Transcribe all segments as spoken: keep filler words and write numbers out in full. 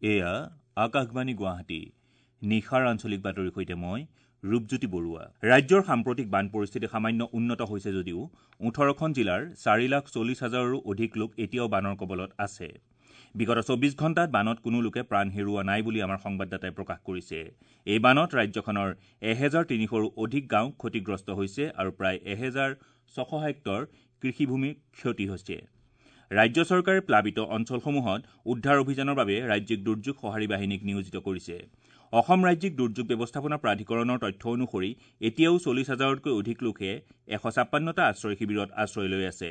এয়া আকাশবাণী গুৱাহাটী। নিশাৰ আঞ্চলিক বাতৰিৰ সৈতে মই ৰূপজ্যোতি বৰুৱা। ৰাজ্যৰ সাম্প্ৰতিক বান পৰিস্থিতি সামান্য উন্নত হৈছে যদিও ওঠৰখন জিলাৰ চাৰি লাখ চল্লিছ হাজাৰৰো অধিক লোক এতিয়াও বানৰ কবলত আছে। বিগত চৌবিশ ঘণ্টাত বানত কোনো লোকে প্ৰাণ হেৰুওৱা নাই বুলি আমাৰ সংবাদদাতাই প্ৰকাশ কৰিছে। এই বানত ৰাজ্যখনৰ এহেজাৰ তিনিশৰো অধিক গাঁও ক্ষতিগ্ৰস্ত হৈছে আৰু প্ৰায় এহেজাৰ ছশ হেক্টৰ কৃষিভূমিৰ ক্ষতি হৈছে। ৰাজ্য চৰকাৰে প্লাবিত অঞ্চলসমূহত উদ্ধাৰ অভিযানৰ বাবে ৰাজ্যিক দুৰ্যোগ সঁহাৰি বাহিনীক নিয়োজিত কৰিছে। অসম ৰাজ্যিক দুৰ্যোগ ব্যৱস্থাপনা প্ৰাধিকৰণৰ তথ্য অনুসৰি এতিয়াও চল্লিছ হাজাৰতকৈ অধিক লোকে এশ ছাপ্পান্নটা আশ্ৰয় শিবিৰত আশ্ৰয় লৈ আছে।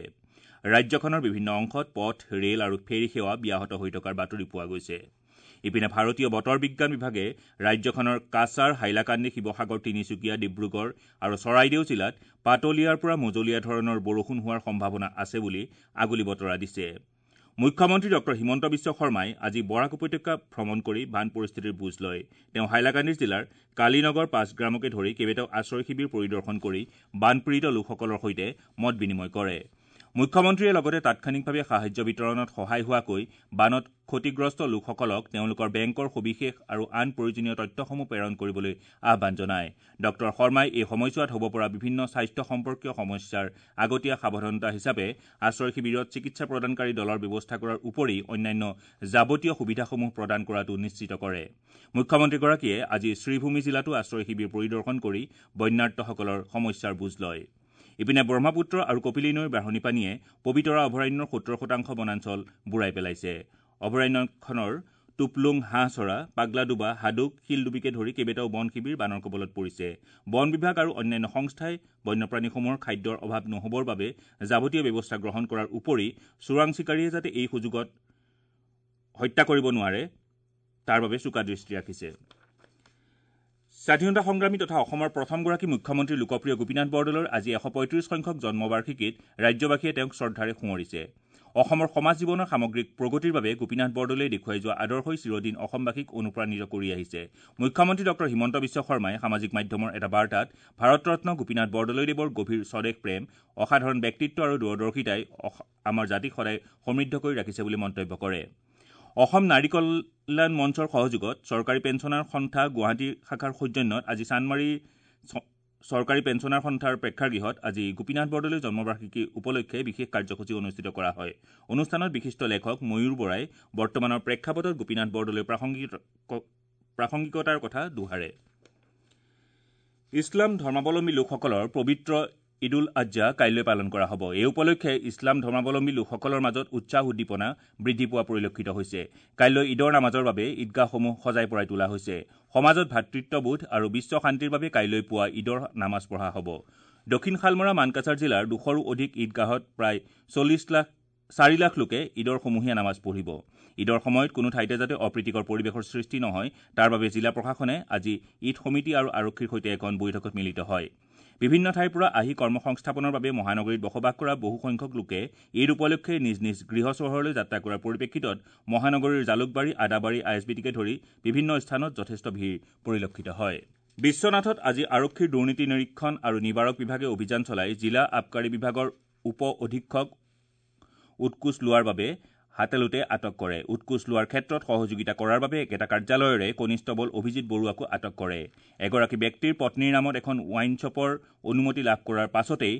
ৰাজ্যখনৰ বিভিন্ন অংশত পথ, ৰেল আৰু ফেৰী সেৱা ব্যাহত হৈ থকাৰ বাতৰি পোৱা গৈছে। ইপিনে ভাৰতীয় বতৰ বিজ্ঞান বিভাগে ৰাজ্যখনৰ কাছাৰ, হাইলাকান্দি, শিৱসাগৰ, তিনিচুকীয়া, ডিব্ৰুগড় আৰু চৰাইদেউ জিলাত পাতলীয়াৰ পৰা মজলীয়া ধৰণৰ বৰষুণ হোৱাৰ সম্ভাৱনা আছে বুলি আগলি বতৰা দিছে। মুখ্যমন্ত্ৰী ডক্টৰ হিমন্ত বিশ্ব শৰ্মাই আজি বৰাক উপত্যকা ভ্ৰমণ কৰি বান পৰিস্থিতিৰ বুজ লয়। তেওঁ হাইলাকান্দি জিলাৰ কালীনগৰ পাঁচগ্ৰামকে ধৰি কেইবাটাও আশ্ৰয় শিবিৰ পৰিদৰ্শন কৰি বানপীড়িত লোকসকলৰ সৈতে মত বিনিময় কৰে। মুখ্যমন্ত্ৰীয়ে লগতে তাৎক্ষণিকভাৱে সাহায্য বিতৰণত সহায় হোৱাকৈ বানত ক্ষতিগ্ৰস্ত লোকসকলক তেওঁলোকৰ বেংকৰ সবিশেষ আৰু আন প্ৰয়োজনীয় তথ্যসমূহ প্ৰেৰণ কৰিবলৈ আহ্বান জনায়। ডক্টৰ শৰ্মাই এই সময়ছোৱাত হ'ব পৰা বিভিন্ন স্বাস্থ্য সম্পৰ্কীয় সমস্যাৰ আগতীয়া সাৱধানতা হিচাপে আশ্ৰয় শিবিৰত চিকিৎসা প্ৰদানকাৰী দলৰ ব্যৱস্থা কৰাৰ উপৰি অন্যান্য যাৱতীয় সুবিধাসমূহ প্ৰদান কৰাটো নিশ্চিত কৰে। মুখ্যমন্ত্ৰীগৰাকীয়ে আজি শ্ৰীভূমি জিলাতো আশ্ৰয় শিবিৰ পৰিদৰ্শন কৰি বন্যাৰ্তসকলৰ সমস্যাৰ বুজ লয়। ইপিনে ব্ৰহ্মপুত্ৰ আৰু কপিলী নৈৰ বাঢ়নী পানীয়ে পবিতৰা অভয়াৰণ্যৰ সত্তৰ শতাংশ বনাঞ্চল বুৰাই পেলাইছে। অভয়াৰণ্যখনৰ টুপলুং, হাঁহচৰা, পাগলাডোবা, হাদুক, শিলডুবিকে ধৰি কেইবাটাও বন শিবিৰ বানৰ কবলত পৰিছে। বন বিভাগ আৰু অন্যান্য সংস্থাই বন্যপ্ৰাণীসমূহৰ খাদ্যৰ অভাৱ নহ'বৰ বাবে যাৱতীয় ব্যৱস্থা গ্ৰহণ কৰাৰ উপৰি চোৰাং চিকাৰীয়ে যাতে এই সুযোগত হত্যা কৰিব নোৱাৰে তাৰ বাবে চোকা দৃষ্টি ৰাখিছে। স্বাধীনতা সংগ্ৰামী তথা অসমৰ প্ৰথমগৰাকী মুখ্যমন্ত্ৰী লোকপ্ৰিয় গোপীনাথ বৰদলৈৰ আজি এশ পঁয়ত্ৰিশ সংখ্যক জন্মবাৰ্ষিকীত ৰাজ্যবাসীয়ে তেওঁক শ্ৰদ্ধাৰে সোঁৱৰিছে। অসমৰ সমাজ জীৱনৰ সামগ্ৰিক প্ৰগতিৰ বাবে গোপীনাথ বৰদলৈয়ে দেখুৱাই যোৱা আদৰ্শই চিৰদিন অসমবাসীক অনুপ্ৰাণিত কৰি আহিছে। মুখ্যমন্ত্ৰী ডক্টৰ হিমন্ত বিশ্ব শৰ্মাই সামাজিক মাধ্যমৰ এটা বাৰ্তাত ভাৰতৰত্ন গোপীনাথ বৰদলৈদেৱৰ গভীৰ স্বদেশ প্ৰেম, অসাধাৰণ ব্যক্তিত্ব আৰু দূৰদৰ্শিতাই আমাৰ জাতিক সদায় সমৃদ্ধ কৰি ৰাখিছে বুলি মন্তব্য কৰে। অসম নাৰী কল্যাণ মঞ্চৰ সহযোগত চৰকাৰী পেঞ্চনাৰ সন্থা গুৱাহাটী শাখাৰ সৌজন্যত আজি চানমাৰী চৰকাৰী পেঞ্চনাৰ সন্থাৰ প্ৰেক্ষাগৃহত আজি গোপীনাথ বৰদলৈৰ জন্মবাৰ্ষিকী উপলক্ষে বিশেষ কাৰ্যসূচী অনুষ্ঠিত কৰা হয়। অনুষ্ঠানত বিশিষ্ট লেখক ময়ূৰ বৰাই বৰ্তমানৰ প্ৰেক্ষাপটত গোপীনাথ বৰদলৈৰ প্ৰাসংগিকতাৰ কথা দোহাৰে। ইছলাম ধৰ্মাৱলম্বী লোকসকলৰ পবিত্ৰ ঈদ উল আজহা কাইলৈ পালন কৰা হ'ব। এই উপলক্ষে ইছলাম ধৰ্মাৱলম্বী লোকসকলৰ মাজত উৎসাহ উদ্দীপনা বৃদ্ধি পোৱা পৰিলক্ষিত হৈছে। কাইলৈ ঈদৰ নামাজৰ বাবে ঈদগাহসমূহ সজাই পৰাই তোলা হৈছে। সমাজত ভাতৃত্ববোধ আৰু বিশ্ব শান্তিৰ বাবে কাইলৈ পুৱা ঈদৰ নামাজ পঢ়া হ'ব। দক্ষিণ শালমৰা মানকাছাৰ জিলাৰ দুশৰো অধিক ঈদগাহত প্ৰায় চল্লিছ লাখ চাৰি লাখ লোকে ঈদৰ সমূহীয়া নামাজ পঢ়িব। ঈদৰ সময়ত কোনো ঠাইতে যাতে অপ্ৰীতিকৰ পৰিৱেশৰ সৃষ্টি নহয় তাৰ বাবে জিলা প্ৰশাসনে আজি ঈদ সমিতি আৰু আৰক্ষীৰ সৈতে এখন বৈঠকত মিলিত হয়। বিভিন্ন ঠাইৰ পৰা আহি কৰ্মসংস্থাপনৰ বাবে মহানগৰীত বসবাস কৰা বহুসংখ্যক লোকে ঈদ উপলক্ষে নিজ নিজ গৃহ চহৰলৈ যাত্ৰা কৰাৰ পৰিপ্ৰেক্ষিতত মহানগৰীৰ Jalukbari, Adabari, I S B টিকে ধৰি বিভিন্ন স্থানত যথেষ্ট ভিৰ পৰিলক্ষিত হয়। বিশ্বনাথত আজি আৰক্ষীৰ দুৰ্নীতি নিৰীক্ষণ আৰু নিবাৰক বিভাগে অভিযান চলাই জিলা আবকাৰী বিভাগৰ উপ অধীক্ষক উৎকোচ লোৱাৰ বাবে হাতেলোটে আটক কৰে। উৎকোচ লোৱাৰ ক্ষেত্ৰত সহযোগিতা কৰাৰ বাবে একেটা কাৰ্যালয়ৰে কনিষ্টবল অভিজিত বৰুৱাকো আটক কৰে। এগৰাকী ব্যক্তিৰ পত্নীৰ নামত এখন ৱাইন শ্বপৰ অনুমতি লাভ কৰাৰ পাছতেই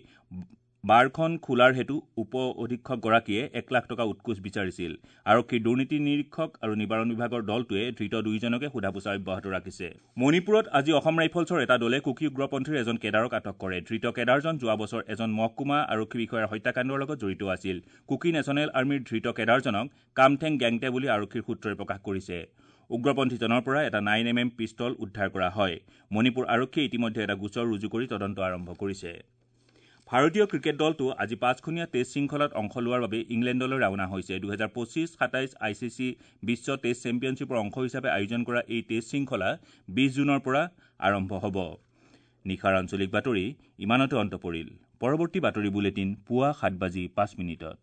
বাৰখন খোলাৰ হেতু উপ অধীক্ষকগৰাকীয়ে এক লাখ টকা উৎকোচ বিচাৰিছিল। আৰক্ষীৰ দুৰ্নীতি নিৰীক্ষক আৰু নিবাৰণ বিভাগৰ দলটোৱে ধৃত দুয়োজনকে সোধা পোছা অব্যাহত ৰাখিছে। মণিপুৰত আজি অসম ৰাইফলছৰ এটা দলে কুকি উগ্ৰপন্থীৰ এজন কেডাৰক আটক কৰে। ধৃত কেডাৰজন যোৱা বছৰ এজন মহকুমা আৰক্ষী বিষয়াৰ হত্যাকাণ্ডৰ লগত জড়িত আছিল। কুকি নেশ্যনেল আৰ্মীৰ ধৃত কেডাৰজনক কামঠেং গেংটে বুলি আৰক্ষীৰ সূত্ৰই প্ৰকাশ কৰিছে। উগ্ৰপন্থীজনৰ পৰা এটা নাইন এম এম পিষ্টল উদ্ধাৰ কৰা হয়। মণিপুৰ আৰক্ষীয়ে ইতিমধ্যে এটা গোচৰ ৰুজু কৰি তদন্ত আৰম্ভ কৰিছে। ভাৰতীয় ক্ৰিকেট দলটো আজি পাঁচখনীয়া টেষ্ট শৃংখলাত অংশ লোৱাৰ বাবে ইংলেণ্ডলৈ ৰাওনা হৈছে। দুহেজাৰ পঁচিছ সাতাইছ I C C Biswa test চেম্পিয়নশ্বিপৰ অংশ হিচাপে আয়োজন কৰা এই টেষ্ট শৃংখলা বিছ জুনৰ পৰা আৰম্ভ হ'ব। নিশাৰ আঞ্চলিক বাতৰি ইমানতে অন্ত পৰিল। পৰৱৰ্তী বাতৰি বুলেটিন পুৱা সাত বাজি পাঁচ মিনিটত।